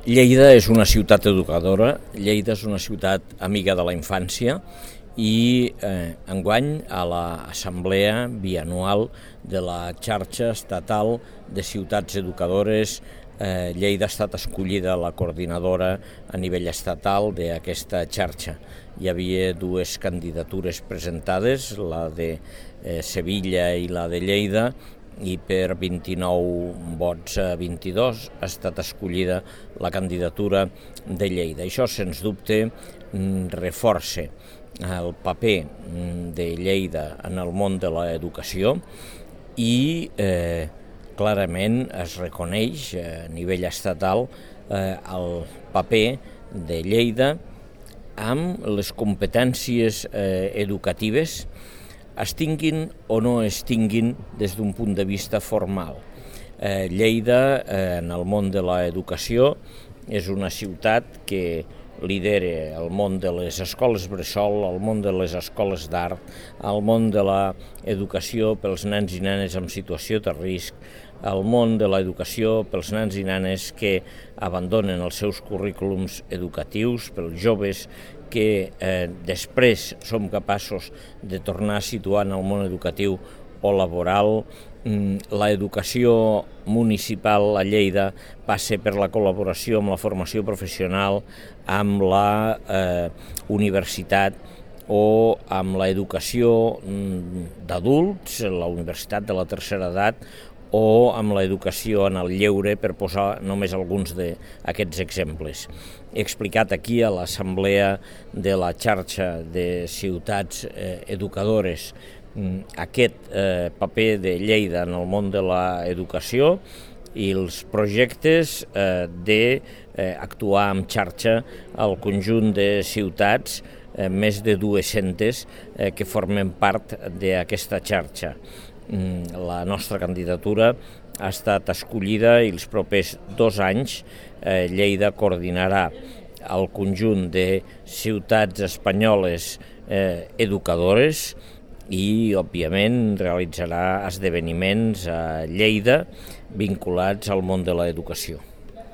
Lleida és una ciutat educadora, Lleida és una ciutat amiga de la infància i enguany a l'assemblea bianual de la xarxa estatal de ciutats educadores Lleida ha estat escollida la coordinadora a nivell estatal d'aquesta xarxa. Hi havia dues candidatures presentades, la de Sevilla i la de Lleida, i per 29 vots a 22 ha estat escollida la candidatura de Lleida. Això, sens dubte, reforça el paper de Lleida en el món de l'educació i clarament es reconeix a nivell estatal el paper de Lleida amb les competències educatives, es tinguin o no es tinguin des d'un punt de vista formal. Lleida, en el món de l'educació, és una ciutat que lidera el món de les escoles bressol, el món de les escoles d'art, el món de l'educació pels nens i nenes en situació de risc, el món de l'educació pels nens i nenes que abandonen els seus currículums educatius, pels joves que després som capaços de tornar a situar en el món educatiu o laboral. L'educació municipal a Lleida passa per la col·laboració amb la formació professional, amb la universitat o amb l'educació d'adults, la universitat de la tercera edat, o amb l'educació en el lleure, per posar només alguns d'aquests exemples. He explicat aquí a l'assemblea de la xarxa de ciutats educadores aquest paper de Lleida en el món de l'educació i els projectes d'actuar en xarxa al conjunt de ciutats, més de 200 que formen part d'aquesta xarxa. La nostra candidatura ha estat escollida i els propers 2 anys Lleida coordinarà el conjunt de ciutats espanyoles educadores i, òbviament, realitzarà esdeveniments a Lleida vinculats al món de l'educació.